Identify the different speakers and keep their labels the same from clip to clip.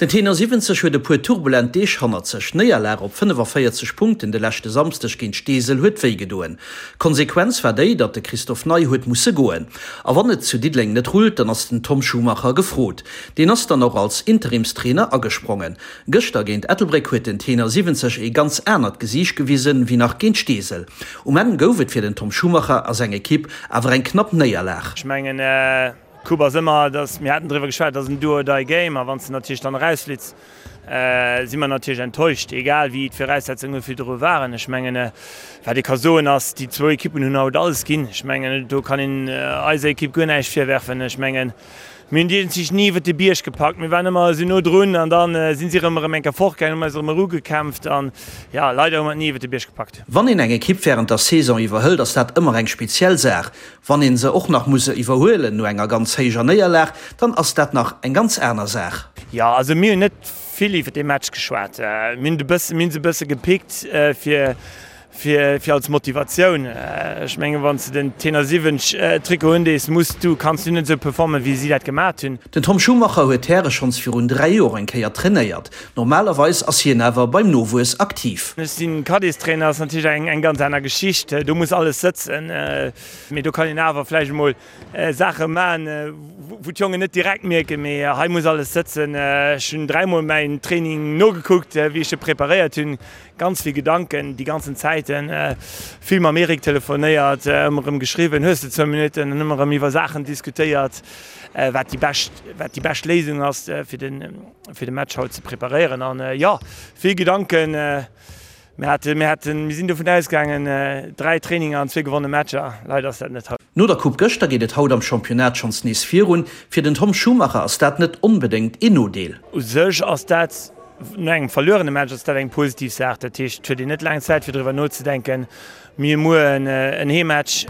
Speaker 1: Den Tenor 70 huet e puer turbulent Deeg hannert sech. D'Néierlag op 45 Punkten de leschte Samsdeg géint Steesel huet wéi gedoen. D'Konsequenz war déi, datt de Christophe Ney huet musse goen. A wann et zu Diddeleng net rullt, dann ass den Tom Schumacher gefrot. Deen ass dann och als Interimstrainer agesprongen. Gëschter géint Ettelbréck huet den Tenor 70 ee ganz anert Gesiicht gewisen, wéi nach géint Steesel. Um Enn gouf et fir den Tom Schumacher a seng Ekipp awer eng knapp Néierlag.
Speaker 2: Ech mengen, D'Coupe ass ëmmer, dass, mir haten driwwer geschwat, et ass en Do-or-die-Game a wann s de natierlech dann erausflitts, si mer natierlech enttäuscht, egal wéi d'Viraussetzunge virdru waren. Ech mengen, wat ee ka soen ass, déi zwou Ekippen hunn haut alles ginn. Ech mengen, do kann een eiser Ekipp guer näischt virwerfen. Ech mengen, mir hunn déi ni iwwert de Bierg gepackt, mir waren ëmmer esou no drun an da si si erëm erëm eng Kéier fortgaangen, hu mer eis erëm erugekämpft an, jo, leider hu mer et ni iwwert de Bierg gepackt.
Speaker 1: Wann een eng Ekipp wärend der Saison iwwerhëlt, ass dat ëmmer eng speziell Saach. Wann een se och nach muss iwwerhuelen no enger ganz héijer Néierlag, dann ass dat nach eng ganz aner Saach.
Speaker 2: Jo, also mir hunn net vill iwwer dee Match geschwat. Mir hunn e bëssen, mir hunn se e bësse gepickt fir, fir, fir als Motivatioun. Ech mengen, wann s de den Tenor 70 Trikot undees, muss du, kanns du net esou performen, wéi si dat gemat hunn.
Speaker 1: Den Tom Schumacher huet d'Häre schonns virun 3 Joer eng Kéier trainéiert. Normalerweis ass hien awer beim Nowuess aktiv.
Speaker 2: Ech sinn Cadettstrainer, ass natierlech eng eng ganz aner Geschicht. Do muss alles sëtzen. Mee do kann een awer vläicht emol Saache maachen, wou d'Jongen net direkt mierken. Mee hei muss alles sëtzen. Ech hunn dräimol mäin Training nogekuckt, wéi ech e preparéiert hunn. Ganz vill Gedanken déi ganzen Zäiten. Vill mam Eric telefonéiert, ëmmer erëm geschriwwen, hues de zwou Minutten, an ëmmer erëm iwwer Saachen diskutéiert, wat déi bescht, wat déi bescht Léisung ass fir den, fir de Match haut ze preparéieren an jo, vill Gedanken. Mir haten, mir haten, mir sinn dovun ausgaangen, 3 Traininger an zwee gewonne Matcher. Leider ass dat net haut.
Speaker 1: No der Coupe gëschter geet et haut am Championnat schonns nees virun. Fir den Tom Schumacher ass dat net onbedéngt een Nodeel.
Speaker 2: U sech ass dat, no engem verluerene Match, ass dat eng positiv Saach. Dat heescht, et huet een net laang Zäit fir driwwer nozedenken. Mir hu muer en Heemmatch.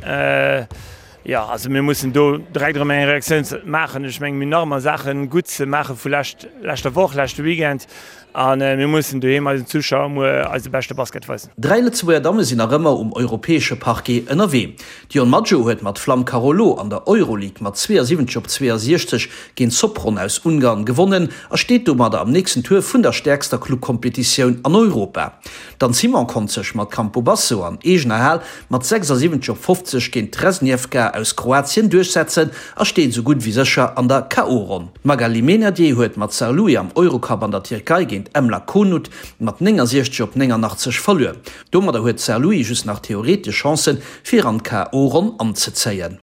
Speaker 2: Jo, also mir mussen do direkt erëm eng Reaktioun maachen. Ech mengen, mir hunn nach ëmmer Saache gutt ze maache vu lescht, leschter Woch, leschte Weekend. A mir mussen doheem eisen Zuschauer muer eise beschte Basket weisen.
Speaker 1: Dräi Lëtzebuerger Damme sinn nach ëmmer um europäesche Parquet ënnerwee. D'Dion Maggio huet mat Flamm Carolo an der Euroleague mat 72 op 62 géint Sopron aus Ungarn gewonnen a steet domadder am nächsten Tour vun der stäerkster Clubkompetitioun an Europa. D'Anne Simon konnt sech mat Campobasso an eegener Hal mat 76 op 50 géint Tresnjevka aus Kroatien duerchsetzen a steet esou gutt ewéi sécher an der KO-Ronn. D'Magali Meynadier huet mat Saarlouis am Eurocup an der Tierkei géint Emlak Konut mat 69 op 89 verluer. Domadder huet Saarlouis just nach theoretesch Chancen, fir an d'KO-Ronn anzezéien.